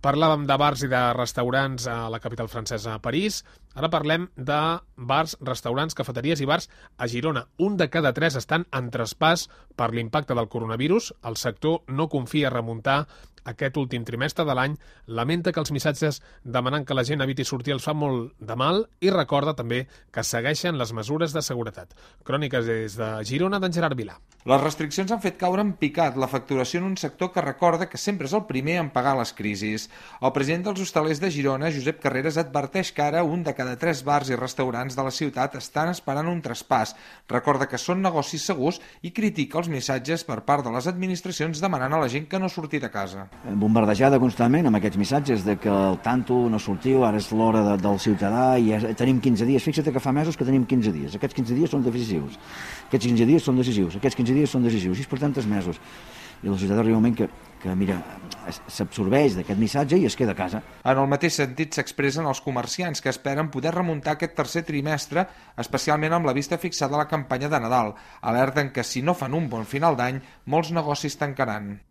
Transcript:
Parlàvem de bars i de restaurants a la capital francesa, a París. Ara parlem de bars, restaurants, cafeteries i bars a Girona. Un de cada 3 estan en traspàs per l'impacte del coronavirus. El sector no confia a remuntar aquest últim trimestre de l'any, lamenta que els missatges demanant que la gent eviti sortir els fa molt de mal i recorda també que segueixen les mesures de seguretat. Cròniques des de Girona, d'en Gerard Vilà. Les restriccions han fet caure en picat la facturació en un sector que recorda que sempre és el primer en pagar les crisis. El president dels hostalers de Girona, Josep Carreras, adverteix que ara un de cada 3 bars i restaurants de la ciutat estan esperant un traspàs. Recorda que són negocis segurs i critica els missatges per part de les administracions demanant a la gent que no surti de casa. Bombardejada constantment amb aquests missatges de que el tanto no sortiu, ara és l'hora del ciutadà i tenim 15 dies. Fixa't que fa mesos que tenim 15 dies. Aquests 15 dies són decisius. Aquests 15 dies són decisius. Aquests 15 dies són decisius. I és per tantes mesos. I el ciutadà arriba un moment que mira, s'absorbeix d'aquest missatge i es queda a casa. En el mateix sentit s'expressen els comerciants que esperen poder remuntar aquest tercer trimestre, especialment amb la vista fixada a la campanya de Nadal. Alerten que si no fan un bon final d'any, molts negocis tancaran.